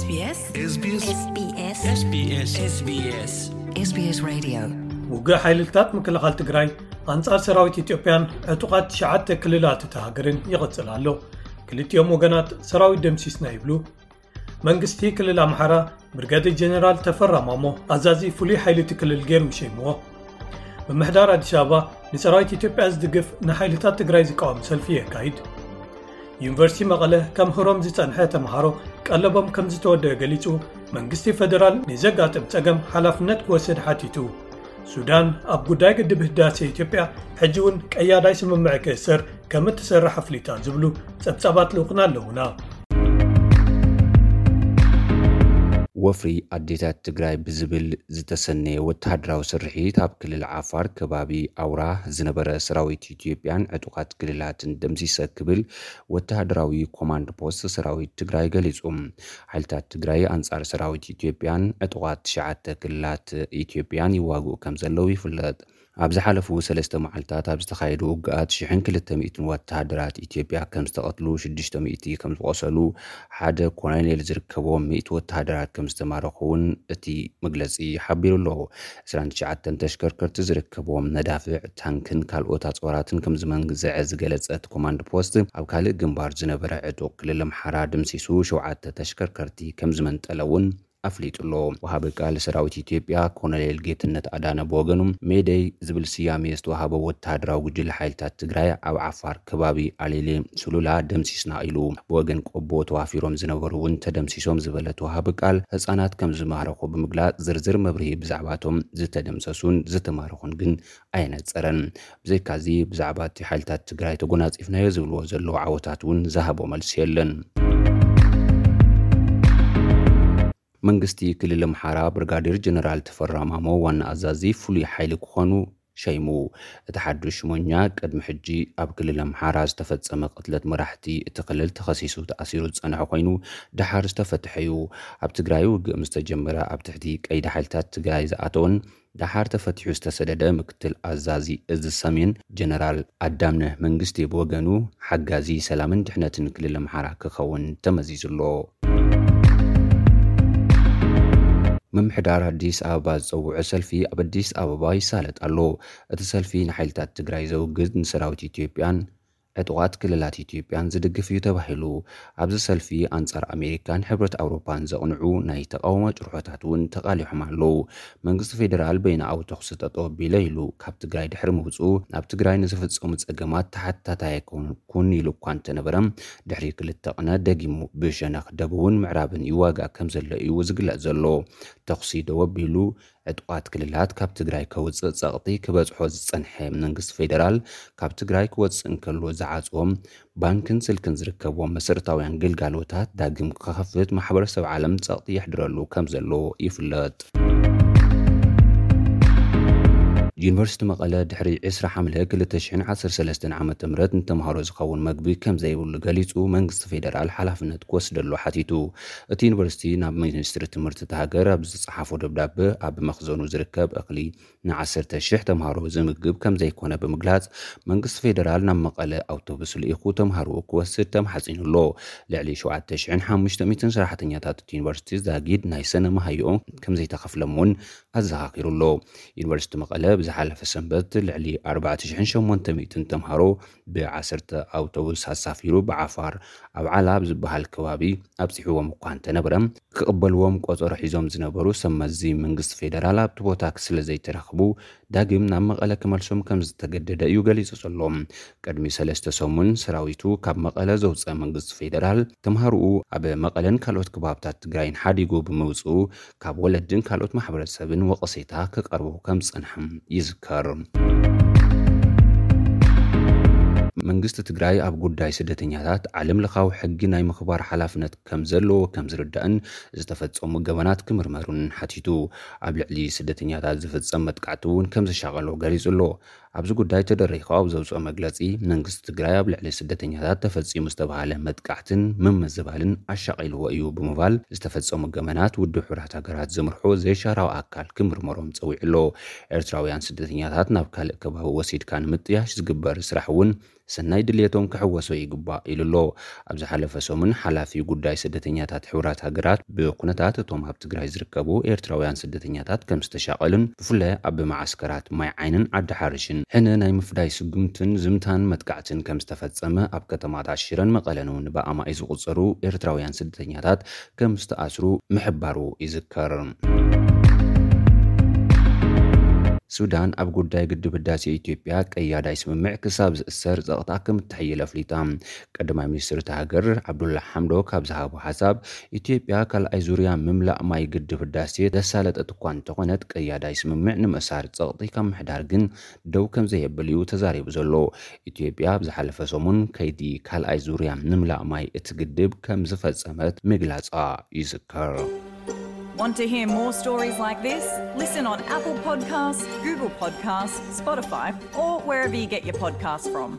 SBS SBS SBS SBS SBS SBS Radio. ውግእ ሓይልታት ምክልኻል ትግራይ ኣንጻር ሰራዊት ኢትዮጵያን ዕጡቓት ትሽዓተ ክልላት እታ ሃገርን ይቕጽል ኣሎ። ክልቲኦም ወገናት ሰራዊት ደምሲስና ይብሉ። መንግስቲ ክልል ኣምሓራ ብርጋዴር ጀነራል ተፈራ ማሞ ኣዛዚ ፍሉይ ሓይሊ እቲ ክልል ገይሩ ይሸይምዎ። ምምሕዳር ኣዲስ ኣበባ ንሰራዊት ኢትዮጵያ ዝድግፍ ንሓይልታት ትግራይ ዝቃወም ሰልፊ የካይድ። ዩኒቨርሲቲ መቐለ ከምህሮም ዝጸንሐ ተምሃሮ ቀለቦም ከም ዝተወደአ ገሊጹ። መንግስቲ ፌደራል ንዘጋጥም ጸገም ሓላፍነት ክወስድ ሓቲቱ። ሱዳን ኣብ ጉዳይ ግድብ ህዳሴ ኢትዮጵያ ሕጂ እውን ቀያዳይ ስምምዕ ክእሰር ከም እትሰርሕ ኣፍሊጣ ዝብሉ ጸብጻባት ልኡኽና ኣለዉና። ወፍሪ ኣዴታት ትግራይ ብዝብል ዝተሰነየ ወተሃደራዊ ስርሒት ኣብ ክልል ዓፋር ከባቢ ኣውራ ዝነበረ ሰራዊት ኢትዮጵያን ዕጡቓት ክልላትን ደምሲሰ ክብል ወተሃደራዊ ኮማንድ ፖስት ሰራዊት ትግራይ ገሊጹ። ሓይልታት ትግራይ ኣንጻር ሰራዊት ኢትዮጵያን ዕጡቓት ትሽዓተ ክልላት ኢትዮጵያን ይዋግኡ ከም ዘለዉ ይፍለጥ። ኣብ ዝሓለፉ ሰለስተ መዓልታት ኣብ ዝተኻየዱ ውግኣት ሽሕን ክልተ ሚእትን ወተሃደራት ኢትዮጵያ ከም ዝተቐትሉ፣ ሽዱሽተ ሚእቲ ከም ዝቖሰሉ፣ ሓደ ኮሎኔል ዝርከቦም ሚእቲ ወተሃደራት ከም ዝተማረኹ እውን እቲ መግለጺ ሓቢሩ ኣሎ። ዕስራን ትሽዓተን ተሽከርከርቲ ዝርከብዎም መዳፍዕ፣ ታንክን ካልኦት ኣጽዋራትን ከም ዝመንዝዐ ዝገለጸ እቲ ኮማንድ ፖስት፣ ኣብ ካልእ ግንባር ዝነበረ ዕጡቕ ክልል ኣምሓራ ድምሲሱ ሸውዓተ ተሽከርከርቲ ከም ዝመንጠለ እውን ኣፍሊጡ ኣሎ። ወሃቢ ቃል ሰራዊት ኢትዮጵያ ኮሎኔል ጌትነት ኣዳነ ብወገኑ፣ ሜደይ ዝብል ስያሜ ዝተዋሃቦ ወተሃደራዊ ጉጅለ ሓይልታት ትግራይ ኣብ ዓፋር ከባቢ ኣሌሌ ሱሉላ ደምሲስና ኢሉ። ብወገን ቆቦ ተዋፊሮም ዝነበሩ እውን ተደምሲሶም ዝበለ እቲ ወሃቢ ቃል፣ ህጻናት ከም ዝማረኹ ብምግላጽ፣ ዝርዝር መብርሂ ብዛዕባቶም ዝተደምሰሱን ዝተማረኹን ግን ኣየነጸረን። ብዘይካዚ ብዛዕባ እቲ ሓይልታት ትግራይ ተጎናጺፍናዮ ዝብልዎ ዘለዉ ዓወታት እውን ዝሃቦ መልሲ የለን። መንግስቲ ክልል ኣምሓራ ብርጋዴር ጀነራል ተፈራ ማሞ ዋና ኣዛዚ ፍሉይ ሓይሊ ክኾኑ ሸይሙ። እቲ ሓዱሽ ሽሞኛ ቅድሚ ሕጂ ኣብ ክልል ኣምሓራ ዝተፈጸመ ቅትለት መራሕቲ እቲ ክልል ተኸሲሱ ተኣሲሩ ዝጸንሐ ኮይኑ፣ ደሓር ዝተፈትሐ እዩ። ኣብ ትግራይ ውግእ ምስ ተጀመረ ኣብ ትሕቲ ቀይዲ ሓይልታት ትግራይ ዝኣተወን ደሓር ተፈቲሑ ዝተሰደደ ምክትል ኣዛዚ እዚ ሰሜን ጀነራል ኣዳምነህ መንግስቴ ብወገኑ፣ ሓጋዚ ሰላምን ድሕነትን ክልል ኣምሓራ ክኸውን ተመዚዙ ኣሎ። ምምሕዳር ኣዲስ ኣበባ ዝጸውዖ ሰልፊ ኣብ ኣዲስ ኣበባ ይሳለጥ ኣሎ። እቲ ሰልፊ ንሓይልታት ትግራይ ዘውግዝ፣ ንሰራዊት ኢትዮጵያን ዕጡቓት ክልላት ኢትዮጵያን ዝድግፍ እዩ ተባሂሉ። ኣብዚ ሰልፊ ኣንጻር ኣሜሪካን ሕብረት ኣውሮፓን ዘቕንዑ ናይ ተቓውሞ ጭርሖታት እውን ተቓሊሖም ኣለዉ። መንግስቲ ፌደራል በይናዊ ተኹሲ ጠጠው ኣቢለ ኢሉ ካብ ትግራይ ድሕሪ ምውፅኡ፣ ኣብ ትግራይ ንዝፍጸሙ ጸገማት ተሓታታይ ኣይኮንኩን ኢሉ እኳ እንተነበረ፣ ድሕሪ ክልተ ቅነ ደጊሙ ብሸነኽ ደቡብን ምዕራብን ይዋጋእ ከም ዘሎ እዩ ዝግለጽ ዘሎ። ተኹሲ ደው ኣቢሉ ዕጡቓት ክልላት ካብ ትግራይ ከውፅእ ጸቕጢ ክበጽሖ ዝጸንሐ መንግስቲ ፌደራል፣ ካብ ትግራይ ክወፅእ እንከሎ ዝዓፅዎም ባንክን ስልክን ዝርከብዎም መሰረታውያን ግልጋሎታት ዳግም ክኸፍት ማሕበረሰብ ዓለም ጸቕጢ የሕድረሉ ከም ዘሎ ይፍለጥ። ዩኒቨርሲቲ መቐለ ድሕሪ ዕስራ ሓምለ ክልተ ሽሕን ዓሰርተ ሰለስተን ዓመተ ምህረት ንተምሃሮ ዝኸውን መግቢ ከም ዘይብሉ ገሊጹ፣ መንግስቲ ፌደራል ሓላፍነት ክወስደሉ ሓቲቱ። እቲ ዩኒቨርሲቲ ናብ ሚኒስትሪ ትምህርቲ እታ ሃገር ኣብ ዝጸሓፎ ደብዳበ፣ ኣብ መኽዘኑ ዝርከብ እኽሊ ንዓሰርተ ሽሕ ተምሃሮ ዝምግብ ከም ዘይኮነ ብምግላጽ፣ መንግስቲ ፌደራል ናብ መቐለ ኣውቶቡስ ልኢኹ ተምሃሮ ክወስድ ተማሕጺኑ ኣሎ። ልዕሊ ሸውዓተ ሽሕን ሓሙሽተ ሚእትን ሰራሕተኛታት እቲ ዩኒቨርሲቲ ዛጊድ ናይ ሰነ መሃይኦም ከም ዘይተኸፍሎም እውን ኣዘኻኺሩ ኣሎ። ዩኒቨርሲቲ መቐለ ብዝሓለፈ ሰንበት ልዕሊ ኣርባዕተ ሽሕን ሸሞንተ ሚእትን ተምሃሮ ብዓሰርተ ኣውቶቡስ ኣሳፊሩ ብዓፋር ኣብ ዓላ ኣብ ዝበሃል ከባቢ ኣብፂሕዎም እኳ እንተነበረ፣ ክቕበልዎም ቆፀሮ ሒዞም ዝነበሩ ሰብ መዚ መንግስቲ ፌደራል ኣብቲ ቦታ ስለ ዘይተረኽቡ ዳግም ናብ መቐለ ክመልሶም ከም ዝተገደደ እዩ ገሊጹ ዘሎ። ቅድሚ ሰለስተ ሰሙን ሰራዊቱ ካብ መቐለ ዘውፀ መንግስቲ ፌደራል፣ ተምሃሮኡ ኣብ መቐለን ካልኦት ከባብታት ትግራይን ሓዲጉ ብምውፅኡ፣ ካብ ወለድን ካልኦት ማሕበረሰብን ወቐሴታ ክቐርቦ ከም ዝጸንሐ ይዝከር። መንግስቲ ትግራይ ኣብ ጉዳይ ስደተኛታት ዓለም ለኻዊ ሕጊ ናይ ምኽባር ሓላፍነት ከም ዘለዎ ከም ዝርዳእን ዝተፈጸሙ ገበናት ክምርመሩን ሓቲቱ። ኣብ ልዕሊ ስደተኛታት ዝፍጸም መጥቃዕቲ እውን ከም ዝሻቐሎ ገሊጹ ኣሎ። ኣብዚ ጉዳይ ተደሪኹ ኣብ ዘውፅኦ መግለጺ፣ መንግስቲ ትግራይ ኣብ ልዕሊ ስደተኛታት ተፈጺሙ ዝተባሃለ መጥቃዕትን ምምዝባልን ኣሻቒልዎ እዩ ብምባል፣ ዝተፈጸሙ ገበናት ውድብ ሕቡራት ሃገራት ዝምርሖ ዘይሻራዊ ኣካል ክምርመሮም ጸዊዑ ኣሎ። ኤርትራውያን ስደተኛታት ናብ ካልእ ከባቢ ወሲድካ ንምጥያሽ ዝግበር ስራሕ እውን ሰናይ ድልየቶም ክሕወሶ ይግባእ ኢሉ ኣሎ። ኣብ ዝሓለፈ ሰሙን ሓላፊ ጉዳይ ስደተኛታት ሕቡራት ሃገራት ብኩነታት እቶም ኣብ ትግራይ ዝርከቡ ኤርትራውያን ስደተኛታት ከም ዝተሻቐሉን ብፍላይ ኣብ መዓስከራት ማይ ዓይንን ዓዲ ሓርሽን ሕነ ናይ ምፍዳይ ስጉምትን ዝምታን መጥቃዕትን ከም ዝተፈጸመ ኣብ ከተማታት ሽረን መቐለን እውን ብኣማኢ ዝቑጸሩ ኤርትራውያን ስደተኛታት ከም ዝተኣስሩ ምሕባሩ ይዝከር። ሱዳን ኣብ ጉዳይ ግድብ ህዳሴ ኢትዮጵያ ቀያዳይ ስምምዕ ክሳብ ዝእሰር ጸቕጣ ከም እተሐየለ ኣፍሊጣ። ቀዳማይ ሚኒስትር እታ ሃገር ዓብዱላ ሓምዶክ ኣብ ዝሃቦ ሓሳብ፣ ኢትዮጵያ ካልኣይ ዙርያ ምምላእ ማይ ግድብ ህዳሴ ዘሳለጠት እኳ እንተኾነት ቀያዳይ ስምምዕ ንምእሳር ጸቕጢ ካብ ምሕዳር ግን ደው ከም ዘየብል እዩ ተዛሪቡ ዘሎ። ኢትዮጵያ ኣብ ዝሓለፈ ሰሙን ከይዲ ካልኣይ ዙርያ ምምላእ ማይ እቲ ግድብ ከም ዝፈጸመት ምግላጻ ይዝከር። Want to hear more stories like this? Listen on Apple Podcasts, Google Podcasts, Spotify, or wherever you get your podcasts from.